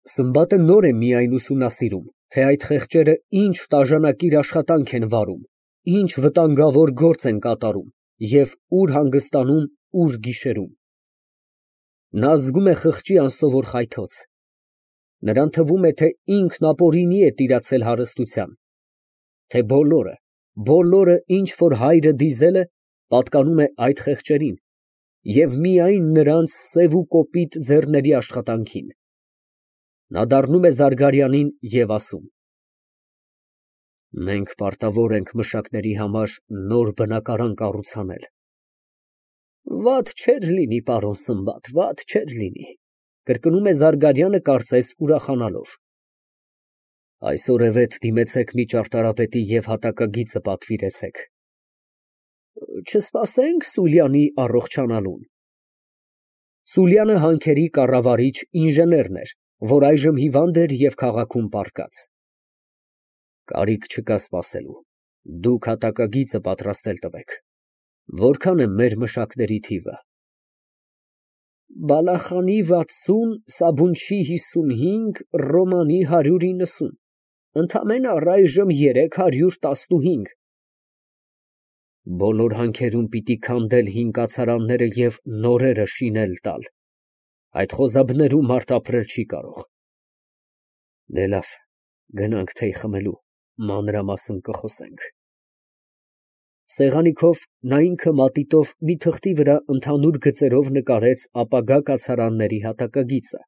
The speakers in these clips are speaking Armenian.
Սմբատը նոր է միայն ուսումնասիրում, թե այդ խեղճերը ինչ տաժանակիր աշխատանք են վարում, ինչ վտանգավոր գործ են կատարում և ուր հանգստանում, ուր գիշերում։ Նա զգում է խղճի անսովոր խայթոց։ Նրան թվում է, թե ինքն ապօրինի է տիրացել հարստության, թե բոլորը, ինչ որ հայրը դիզել է, պատկանում է այդ խեղճերին և միայն նրանց սև ու կոպիտ ձեռների աշխատանքին։ Նա դառնում է Զարգարյանին և ասում. «Մենք պարտավոր ենք մշակների համար նոր բնակարան կառուցանել»։ Վատ չէր լինի, պարոն Սմբատ, վատ չէր լինի, կրկնում է Զարգարյանը, կարծես ուրախանալով։ Այսօրևեթ դիմեցեք մի ճարտարապետի և հատակագիծը պատվիրեցեք։ Չսպասե՞նք Սուլյանի առողջանալուն։ Սուլյանը հանքերի կառավարիչ ինժեներն էր, որ այժմ հիվանդ էր և քաղաքում պառկած։ Կարիք չկա սպասելու, դուք հատակագիծը պատրաստել տվեք։ Որքան է մեր մշակների թիվը։ Բալախանի 60, Սաբունչի 55, Ռոմանի 190, ընդամենը առայժմ 315։ Բոլոր հանքերում պիտի քանդել հին կացարանները և նորերը շինել տալ, այդ խոզաբներում մարդ ապրել չի կարող։ Դե լավ, գնանք թեյ խմելու, մանրամասն կխոսենք։ Սեղանի քով նա ինքը մատիտով մի թղթի վրա ընդհանուր գծերով նկարեց ապագա կացարանների հատակագիծը,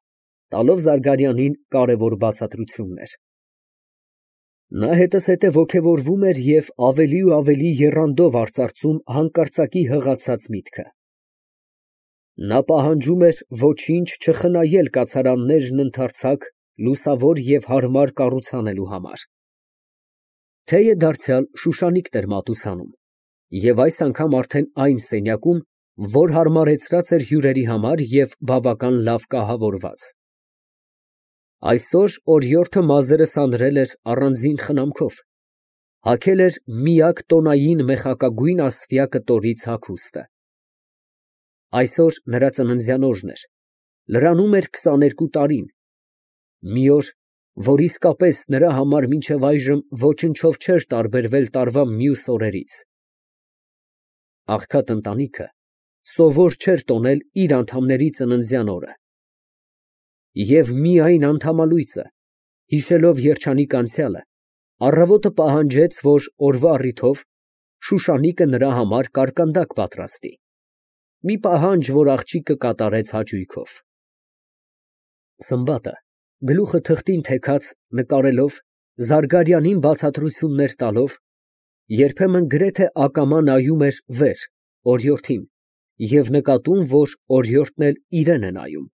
տալով Զարգարյանին կարևոր բացատրություններ։ Նա հետզհետե ոգևորվում էր և ավելի ու ավելի եռանդով արծարծում հանկարծակի հղացած միտքը։ Նա պահանջում էր ոչինչ չխնայել կացարաններն ընդարձակ, լուսավոր և հարմար կառուցանելու համար։ Թեյը դարձյալ շուշանիկն էր մատուցանում, և այս անգամ արդեն այն սենյակում, որ հարմարեցրած էր հյուրերի համար և բավական լավ կահավորված։ Այսօր օրիորդը մազերը սանրել էր առանձին խնամքով, հագել էր միակ տոնային մեխակագույն ասպյա կտորից հագուստը։ Այսօր նրա ծննդյան օրն էր, լրանում էր 22 տարին, մի օր, որ իսկապես նրա համար մինչև այժմ ոչնչով չէր տարբերվել տարվա մյուս օրերից։ Աղքատ ընտանիքը սովոր չէր տոնել իր անդամների ծննդյան օրը։ Եվ միայն անդամալույձը, հիշելով երջանիկ անցյալը, առավոտը պահանջեց, որ օրվա առիթով շուշանիկը նրա համար կարկանդակ պատրաստի, մի պահանջ, որ աղջիկը կատարեց հաճույքով։ Սմբատը, գլուխը թղթին թեքած, նկարելով, Զարգարյանին բացատրություններ տալով, երբեմն գրեթե ակամա նայում էր վեր, օրիորդին, և նկատում, որ օրիորդն էլ իրան է նայում։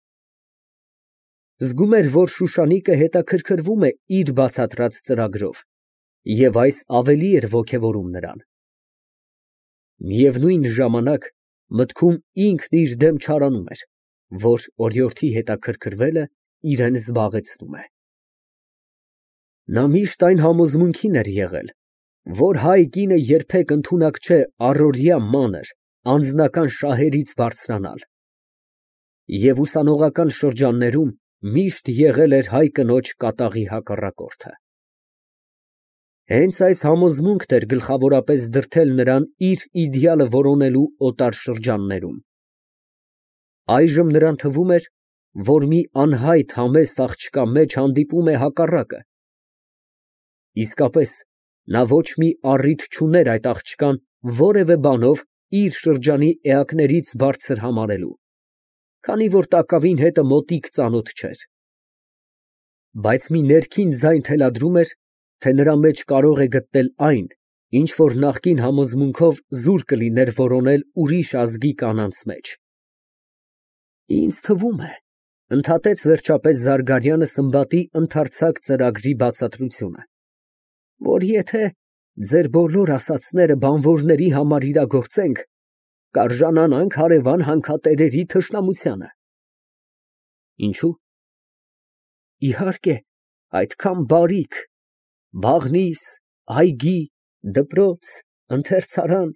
Զգում էր, որ շուշանիկը հետաքրքրվում է իր բացատրած ծրագրով, և այս ավելի էր ոգևորում նրան։ Միևնույն ժամանակ մտքում ինքն իր դեմ չարանում էր, որ օրիորդի հետաքրքրվելը իրան զբաղեցնում է։ Նա միշտ այն համոզմունքին էր եղել, որ հայ կինը երբեք ընդունակ չէ առօրյա մանր, անձնական շահերից բարձրանալ, և ուսանողական շրջաններում միշտ եղել էր հայ կնոջ կատաղի հակառակորդը։ Հենց այս համոզմունքն էր գլխավորապես դրդել նրան իր իդեալը որոնելու օտար շրջաններում։ Այժմ նրան թվում էր, որ մի անհայտ համեստ աղջկա մեջ հանդիպում է հակառակը։ Իսկապես, նա ոչ մի առիթ չուներ այդ աղջկան որևէ բանով իր շրջանի էակներից բարձր համարելու, քանի որ տակավին հետը մոտիկ ծանոթ չէր։ Բայց մի ներքին ձայն թելադրում էր, թե նրա մեջ կարող է գտնել այն, ինչ որ նախկին համոզմունքով զուր կլիներ որոնել ուրիշ ազգի կանանց մեջ։ Ինձ թվում է, ընդհատեց վերջապես Զարգարյանը Սմբատի ընդարձակ ծրագրի բացատրությունը, որ եթե ձեր բոլոր ասածները բանվորների համար իրագործենք, կարժանանանք հարևան հանքատերերի թշնամությանը։ Ինչո՞ւ։ Իհարկե, այդքան բարիք, բաղնիս, այգի, դպրոց, ընթերցարան,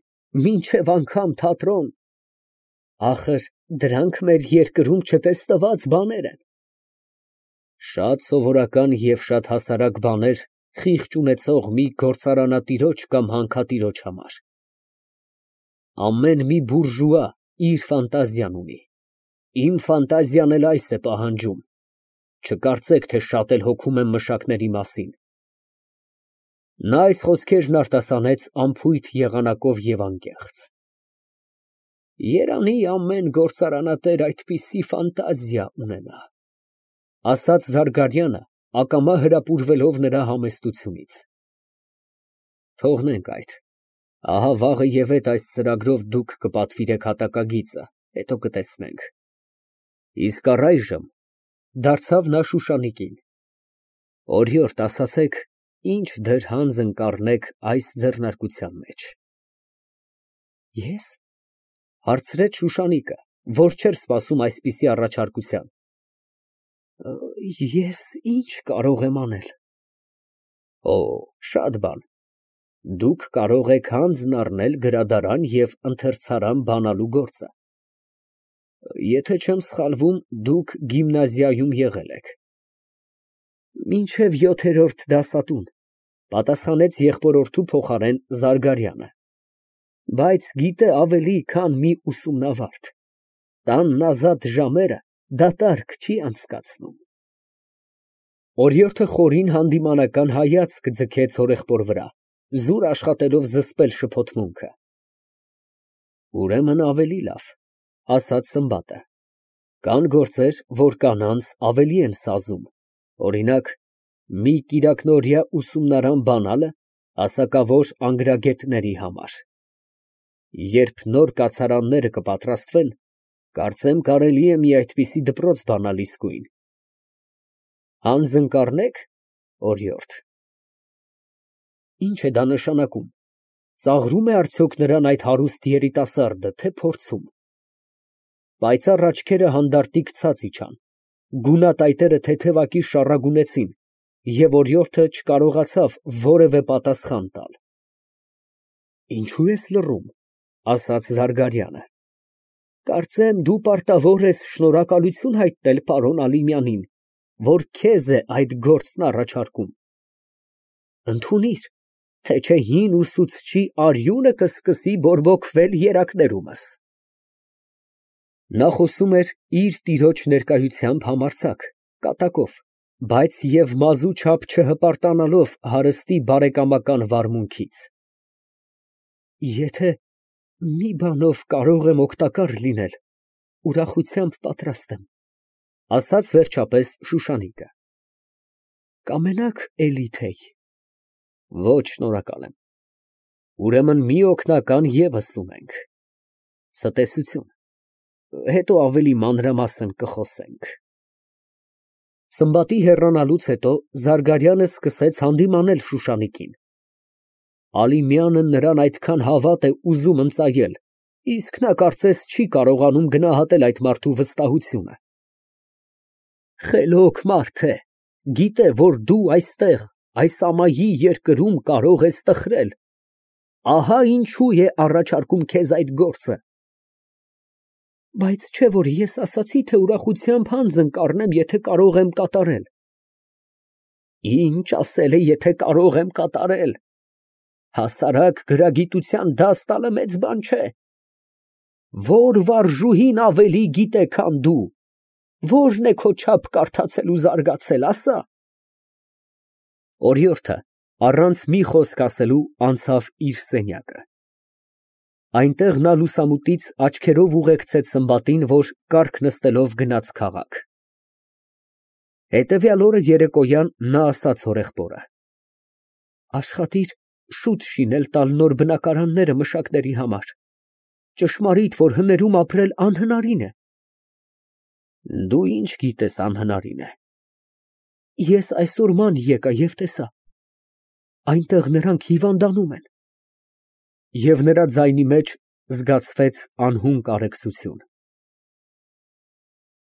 մինչև անգամ թատրոն, դրանք մեր երկրում չտեսնված բաներ են։ Շատ սովորական և շատ հասարակ բաներ խիղճ ունեցող մի գործարանատիրոջ կամ հանքատիրոջ համար։ Ամեն մի բուրժուա իր ֆանտազիան ունի, իմ ֆանտազիան էլ այս է պահանջում, չկարծեք, թե շատ էլ հոգում եմ մշակների մասին։ Նա այս խոսքերն արտասանեց անփույթ եղանակով և անկեղծ։ Երանի ամեն գործարանատեր այդպիսի ֆանտազիա ունենա, ասաց Զարգարյանը, ակամա հրապուրվելով նրա համեստությունից։ Թողնենք այդ, ահա վաղը և այս ծրագրով դուք կպատվիրեք հատակագիծը, հետո կտեսնենք։ Իսկ առայժմ, դարձավ նա Շուշանիկին, օրիորդ ասացեք, ինչ դր հանձն կառնեք այս ձեռնարկության մեջ։ Ես, հարցրեց Շուշանիկը, որ չէր սպասում այսպիսի առաջարկության։ Ես ինչ կարող եմ անել։ Օ, շատ բան։ Դուք կարող եք հանձն առնել գրադարան և ընթերցարան բանալու գործը։ Եթե չեմ սխալվում, դուք գիմնազիայում եղել եք։ Մինչև 7-րդ դասատուն, պատասխանեց եղբորորդու փոխարեն Զարգարյանը, բայց գիտե ավելի, քան մի ուսումնավարդ, տանն ազատ ժամերը դատարկ չի անցկացնում։ Օրիորդը խորին հանդիմանական հայացք ձգեց հորեղբոր վրա, զուր աշխատելով զսպել շփոթմունքը։ Ուրեմն ավելի լավ, ասաց Սմբատը, կան գործեր, որ կանանց ավելի են սազում, օրինակ, մի կիրակնօրյա ուսումնարան բանալը հասակավոր անգրագետների համար։ Երբ նոր կացարանները կպատրաստվեն, կարծեմ կարելի է մի այդպիսի դպրոց բանալ իսկույն։ Հանձն կառնե՞ք, օրիորդ։ Ինչ է դա նշանակում, ծաղրում է արդյոք նրան այդ հարուստ երիտասարդը, թե փորձում։ Պայծառ աչքերը հանդարտիկ ցած իջան, գունատայտերը թեթևակի շառագունեցին, և օրիորդը չկարողացավ որևէ պատասխան տալ։ Ինչո՞ւ ես լռում, ասաց Զարգարյանը։ Կարծեմ, դու պարտավոր ես շնորհակալություն հայտնել պարոն Ալիմյանին, որ քեզ է այդ գործն առաջարկում։ Ընդունիր, թե չէ հին ուսուցչի արյունը կսկսի բորբոքվել երակներումս։ Նա խոսում էր իր տիրոջ ներկայությամբ համարձակ, կատակով, բայց և մազու չափ չհպարտանալով հարստի բարեկամական վարմունքից։ Եթե մի բանով կարող եմ օգտակար լինել, ուրախությամբ պատրաստ եմ, ասաց վերջապես Շուշանիկը։ Կամենա՞ք էլի թեյ։ Ոչ, շնորհակալ եմ։ Ուրեմն մի օգնական ևս ունենք։ Ցտեսություն, հետո ավելի մանրամասն կխոսենք։ Սմբատի հեռանալուց հետո Զարգարյանը սկսեց հանդիմանել Շուշանիկին։ Ալիմյանը նրան այդքան հավատ է ուզում ընծայել, իսկ նա կարծես չի կարողանում գնահատել այդ մարդու վստահությունը։ Խելոք մարդ է, գիտե, որ դու այստեղ, այս ամայի երկրում կարող ես տխրել, ահա ինչու է առաջարկում քեզ այդ գործը։ Բայց չէ՞ որ ես ասացի, թե ուրախությամբ հանձն կառնեմ, եթե կարող եմ կատարել։ Ինչ ասել է, եթե կարող եմ կատարել։ Հասարակ գրագիտության դաս տալը մեծ բան չէ։ Ո՞ր վարժուհին ավելի գիտե, քան դու։ Ո՞րն է քո չափ կարդացել ու զարգացել, ասա։ Օրիորդը, առանց մի խոսք ասելու, անցավ իր սենյակը։ Այնտեղ նա լուսամուտից աչքերով ուղեկցեց Սմբատին, որ կառք նստելով գնաց քաղաք։ Հետևյալ օրը երեկոյան նա ասաց հորեղբորը. Աշխատիր շուտ շինել տալ նոր բնակարանները մշակների համար։ Ճշմարիտ, որ հներում ապրել անհնարին է։ Դու ինչ գիտես անհնարին է։ Ես այսօր ման եկա և տեսա։ Այնտեղ նրանք հիվանդանում են։ Եվ նրա ձայնի մեջ զգացվեց անհուն կարեկցություն։